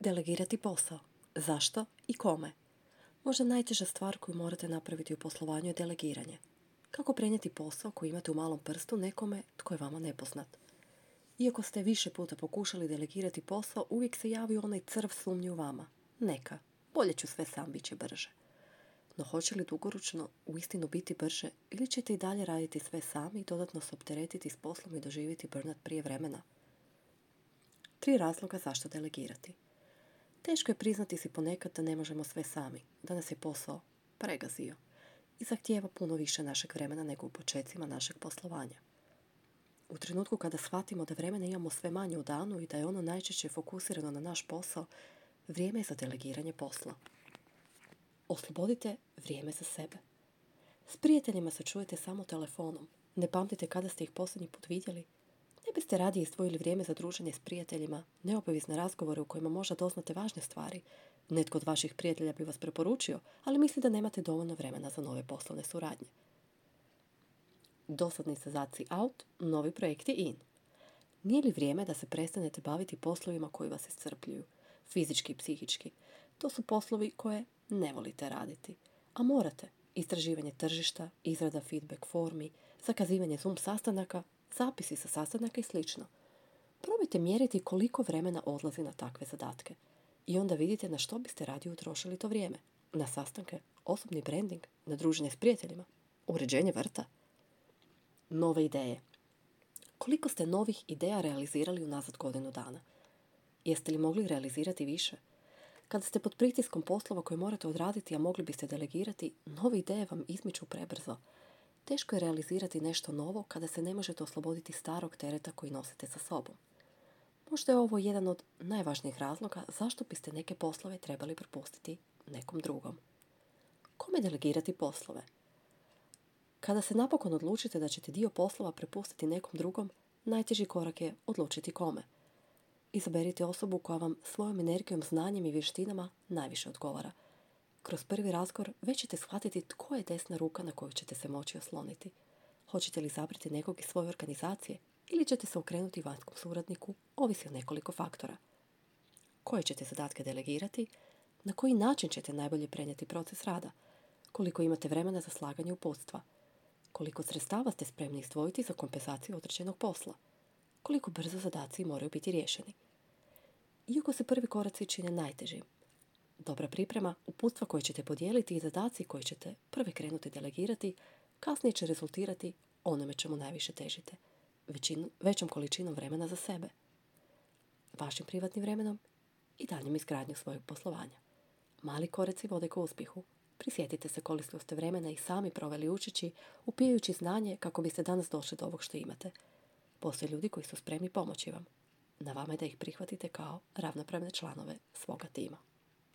Delegirati posao. Zašto i kome? Možda najteža stvar koju morate napraviti u poslovanju je delegiranje. Kako prenijeti posao koji imate u malom prstu nekome tko je vama nepoznat? Iako ste više puta pokušali delegirati posao, uvijek se javi onaj crv sumnje u vama. Neka, bolje ću sve sam, bit će brže. No hoće li dugoročno uistinu biti brže ili ćete i dalje raditi sve sami i dodatno se opteretiti s poslom i doživjeti burnout prije vremena? 3 razloga zašto delegirati. Teško je priznati si ponekad da ne možemo sve sami, da nas je posao pregazio i zahtijeva puno više našeg vremena nego u počecima našeg poslovanja. U trenutku kada shvatimo da vremena imamo sve manje u danu i da je ono najčešće fokusirano na naš posao, vrijeme je za delegiranje posla. Oslobodite vrijeme za sebe. S prijateljima se čujete samo telefonom. Ne pamtite kada ste ih posljednji put vidjeli. Ne biste radije izdvojili vrijeme za druženje s prijateljima, neobavezne razgovore u kojima možda doznate važne stvari. Netko od vaših prijatelja bi vas preporučio, ali misli da nemate dovoljno vremena za nove poslovne suradnje. Dosadni zadaci out, novi projekti in. Nije li vrijeme da se prestanete baviti poslovima koji vas iscrpljuju, fizički i psihički? To su poslovi koje ne volite raditi, a morate. Istraživanje tržišta, izrada feedback formi, zakazivanje Zoom sastanaka, zapisi sa sastanaka i sl. Probajte mjeriti koliko vremena odlazi na takve zadatke. I onda vidite na što biste radije utrošili to vrijeme. Na sastanke, osobni branding, na druženje s prijateljima, uređenje vrta. Nove ideje. Koliko ste novih ideja realizirali unazad godinu dana? Jeste li mogli realizirati više? Kada ste pod pritiskom poslova koje morate odraditi, a mogli biste delegirati, nove ideje vam izmiču prebrzo. Teško je realizirati nešto novo kada se ne možete osloboditi starog tereta koji nosite sa sobom. Možda je ovo jedan od najvažnijih razloga zašto biste neke poslove trebali prepustiti nekom drugom. Kome delegirati poslove? Kada se napokon odlučite da ćete dio poslova prepustiti nekom drugom, najteži korak je odlučiti kome. Izaberite osobu koja vam svojom energijom, znanjem i vještinama najviše odgovara. Kroz prvi razgovor već ćete shvatiti tko je desna ruka na koju ćete se moći osloniti. Hoćete li izabrati nekog iz svoje organizacije ili ćete se okrenuti vanjskom suradniku, ovisi o nekoliko faktora. Koje ćete zadatke delegirati, na koji način ćete najbolje prenijeti proces rada, koliko imate vremena za slaganje uputstva, koliko sredstava ste spremni izdvojiti za kompenzaciju određenog posla, koliko brzo zadaci moraju biti riješeni. Iako se prvi koraci čine najtežim, dobra priprema, uputstva koje ćete podijeliti i zadaci koje ćete prvi krenuti delegirati, kasnije će rezultirati onome čemu najviše težite, većom količinom vremena za sebe, vašim privatnim vremenom i daljnjom izgradnjom svojeg poslovanja. Mali koraci vode ka uspjehu. Prisjetite se koliko ste vremena i sami proveli učeći, upijajući znanje kako biste danas došli do ovog što imate. Postoje ljudi koji su spremni pomoći vam. Na vama je da ih prihvatite kao ravnopravne članove svoga tima.